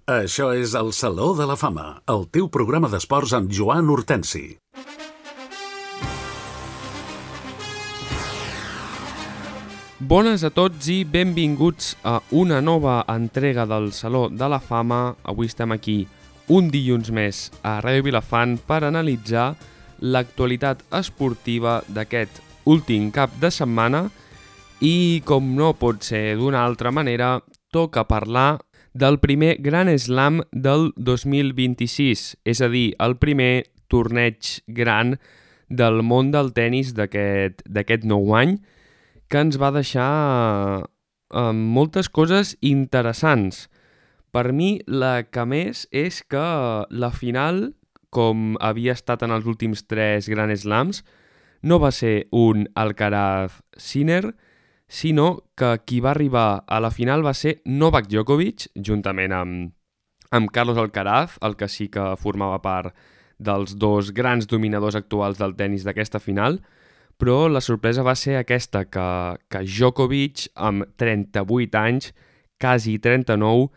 Això és el Saló de la Fama, el teu programa d'esports amb Joan Hortensi. Bones a tots i benvinguts a una nova entrega del Saló de la Fama. Avui estem aquí un dilluns més a Ràdio Vilafant per analitzar l'actualitat esportiva d'aquest últim cap de setmana i, com no pot ser d'una altra manera, toca parlar del primer Grand Slam del 2026, és a dir, el primer torneig gran del món del tennis d'aquest nou any, que ens va deixar moltes coses interessants. Per mi, la que més és que la final, com havia estat en els últims 3 Grand Slams, no va ser un Alcaraz-Sinner, sinó que qui va arribar a la final va ser Novak Djokovic, juntament amb Carlos Alcaraz, el que sí que formava part dels dos grans dominadors actuals del tennis d'aquesta final, però la sorpresa va ser aquesta, que Djokovic, amb 38 anys, quasi 39,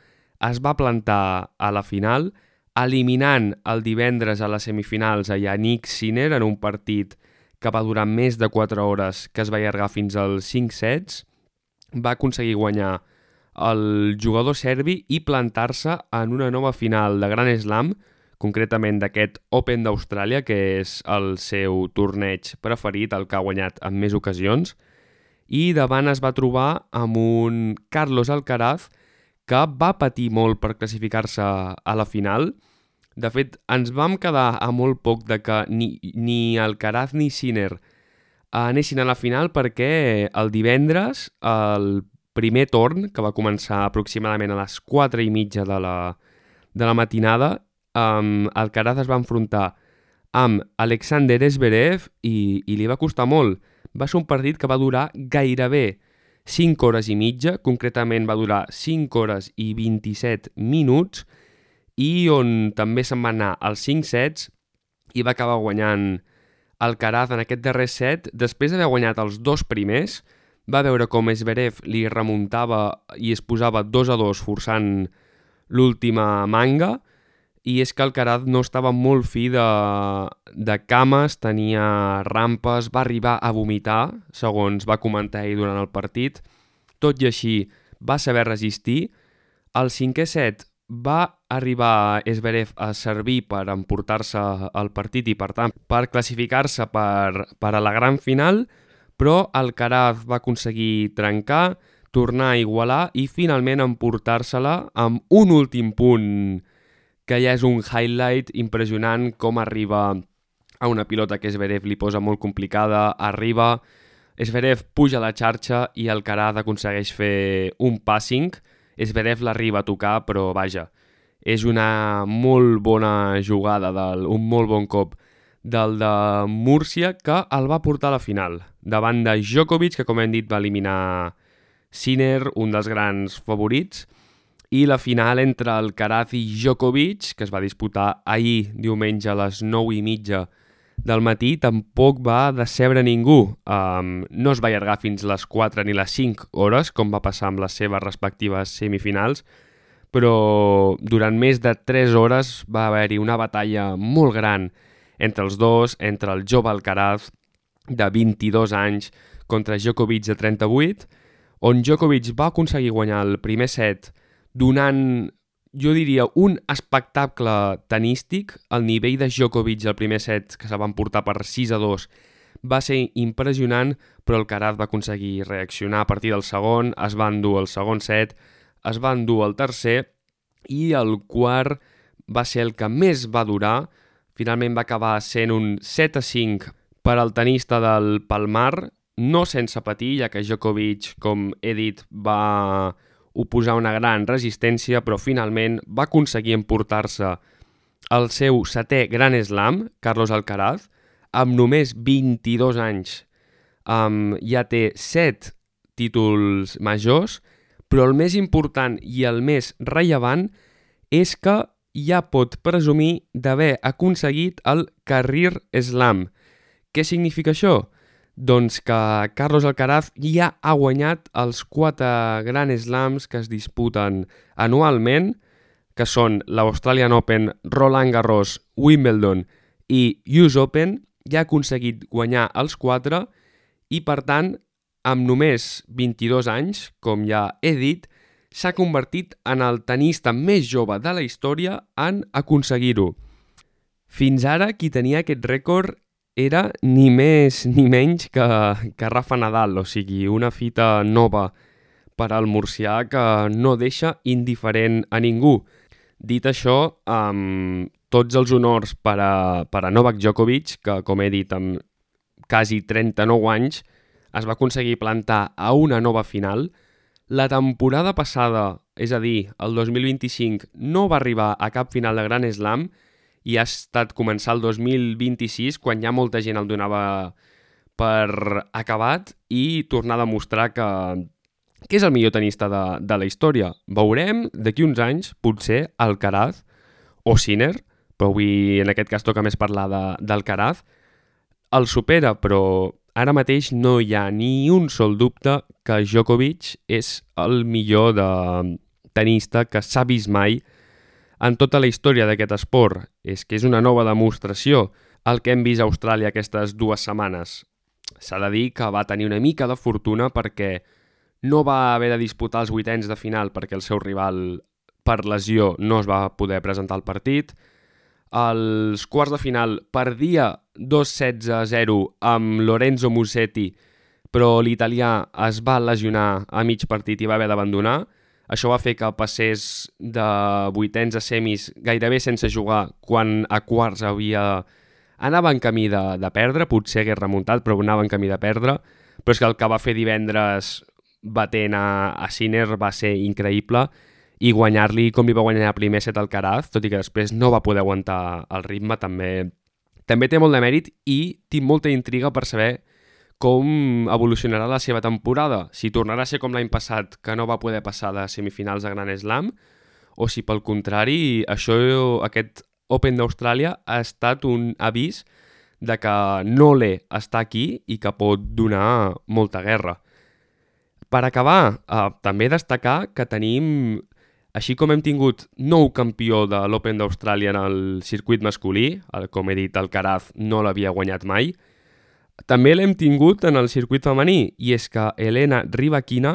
es va plantar a la final, eliminant el divendres a les semifinals a Jannik Sinner en un partit que va durar més de 4 hores, que es va allargar fins als 5 sets, va aconseguir guanyar el jugador serbi i plantar-se en una nova final de Grand Slam, concretament d'aquest Open d'Austràlia, que és el seu torneig preferit, el que ha guanyat en més ocasions, i davant es va trobar amb un Carlos Alcaraz que va patir molt per classificar-se a la final. De fet, ens vam quedar a molt poc de que ni Alcaraz ni Sinner anessin a la final perquè el divendres, el primer torn, que va començar aproximadament a les 4:30 de la matinada, Alcaraz es va enfrontar amb Alexander Zverev i li va costar molt. Va ser un partit que va durar gairebé 5 hores i mitja, concretament va durar 5 hores i 27 minuts, i on també se'n va anar als 5 sets i va acabar guanyant Alcaraz en aquest darrer set. Després d'haver guanyat els 2 primers, va veure com Zverev li remuntava i es posava 2-2 forçant l'última manga, i és que Alcaraz no estava molt fi de cames, tenia rampes, va arribar a vomitar, segons va comentar ell durant el partit. Tot i així va saber resistir. Al 5è set va arribar Zverev a servir per emportar-se el partit i, per tant, per classificar-se per a la gran final, però Alcaraz va aconseguir trencar, tornar a igualar i finalment emportar-se-la amb un últim punt que ja és un highlight impressionant, com arriba a una pilota que Zverev li posa molt complicada, arriba, Zverev puja a la xarxa i Alcaraz aconsegueix fer un passing. Zverev l'arriba a tocar, però vaja, és una molt bona jugada, un molt bon cop del de Múrcia, que el va portar a la final, davant de Djokovic, que com hem dit va eliminar Sinner, un dels grans favorits, i la final entre Alcaraz i Djokovic, que es va disputar ahir diumenge a les 9:30 del matí, tampoc va decebre ningú. No es va allargar fins les 4 ni les 5 hores, com va passar amb les seves respectives semifinals, però durant més de 3 hores va haver-hi una batalla molt gran entre els dos, entre el jove Alcaraz de 22 anys contra Djokovic de 38, on Djokovic va aconseguir guanyar el primer set donant, jo diria, un espectacle tenístic. El nivell de Djokovic al primer set, que se van portar per 6-2, va ser impressionant, però Alcaraz va aconseguir reaccionar a partir del segon, es va endur el segon set, es va endur el tercer, i el quart va ser el que més va durar. Finalment va acabar sent un 7-5 per al tenista del Palmar, no sense patir, ja que Djokovic, com he dit, va oposar una gran resistència, però finalment va aconseguir emportar-se el seu 7è Grand Slam, Carlos Alcaraz, amb només 22 anys. Ja té 7 títols majors, però el més important i el més rellevant és que ja pot presumir d'haver aconseguit el Career Slam. Què significa això? Doncs que Carlos Alcaraz ja ha guanyat els 4 Grand Slams que es disputen anualment, que són l'Australian Open, Roland Garros, Wimbledon i US Open, ja ha aconseguit guanyar els 4 i, per tant, amb només 22 anys, com ja he dit, s'ha convertit en el tenista més jove de la història en aconseguir-ho. Fins ara, qui tenia aquest rècord era ni més ni menys que Rafa Nadal, o sigui, una fita nova per al murcià que no deixa indiferent a ningú. Dit això, tots els honors per a Novak Djokovic, que, com he dit, amb quasi 39 anys, es va aconseguir plantar a una nova final. La temporada passada, és a dir, el 2025, no va arribar a cap final de Grand Slam i ha estat començar el 2026, quan ja molta gent el donava per acabat, i tornar a demostrar que és el millor tenista de la història. Veurem d'aquí uns anys, potser, Alcaraz o Sinner, però avui en aquest cas toca més parlar d'Alcaraz, el supera, però ara mateix no hi ha ni un sol dubte que Djokovic és el millor tenista que s'ha vist mai en tota la història d'aquest esport. És que és una nova demostració el que hem vist a Austràlia aquestes 2 setmanes. S'ha de dir que va tenir una mica de fortuna perquè no va haver de disputar els 8ens de final perquè el seu rival, per lesió, no es va poder presentar al partit. Els quarts de final perdia 2-16-0 amb Lorenzo Musetti, però l'italià es va lesionar a mig partit i va haver d'abandonar. Això va fer que passés de 8ens a semis gairebé sense jugar, quan a quarts anava en camí de perdre, potser hagués remuntat, però anava en camí de perdre. Però és que el que va fer divendres batent a Sinner va ser increïble, i guanyar-li com li va guanyar el primer set Alcaraz, tot i que després no va poder aguantar el ritme, també té molt de mèrit, i tinc molta intriga per saber com evolucionarà la seva temporada, si tornarà a ser com l'any passat, que no va poder passar de semifinals a Grand Slam, o si pel contrari aquest Open d'Austràlia ha estat un avís de que Nole està aquí i que pot donar molta guerra. Per acabar, també destacar que tenim, així com hem tingut nou campió de l'Open d'Austràlia en el circuit masculí, com he dit, Alcaraz no l'havia guanyat mai, també l'hem tingut en el circuit femení, i és que Elena Rybakina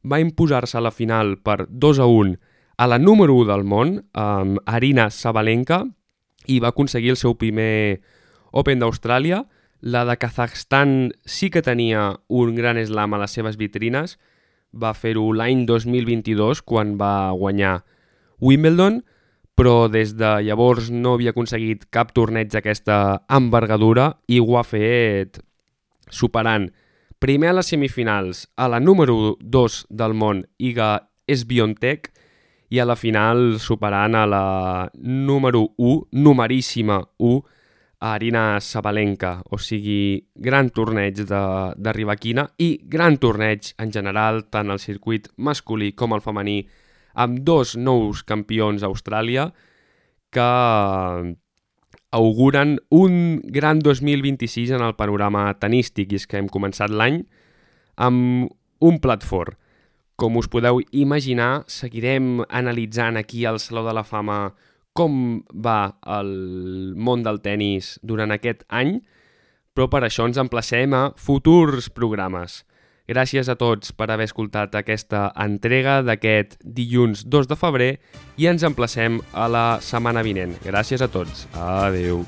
va imposar-se a la final per 2-1 a la número 1 del món, Aryna Sabalenka, i va aconseguir el seu primer Open d'Austràlia. La de Kazakhstan sí que tenia un gran slam a les seves vitrines, va fer-ho l'any 2022 quan va guanyar Wimbledon, però des de llavors no havia aconseguit cap torneig d'aquesta envergadura i ho ha fet superant primer a les semifinals a la número 2 del món, Iga Swiatek, i a la final superant a la número 1, numeríssima 1, a Aryna Sabalenka. O sigui, gran torneig de Rybakina i gran torneig en general, tant al circuit masculí com al femení, amb 2 nous campions a Austràlia que auguren un gran 2026 en el panorama tenístic, i és que hem començat l'any amb un plat fort. Com us podeu imaginar, seguirem analitzant aquí al Saló de la Fama com va el món del tenis durant aquest any, però per això ens emplacem a futurs programes. Gràcies a tots per haver escoltat aquesta entrega d'aquest dilluns 2 de febrer i ens emplacem a la setmana vinent. Gràcies a tots. Adéu.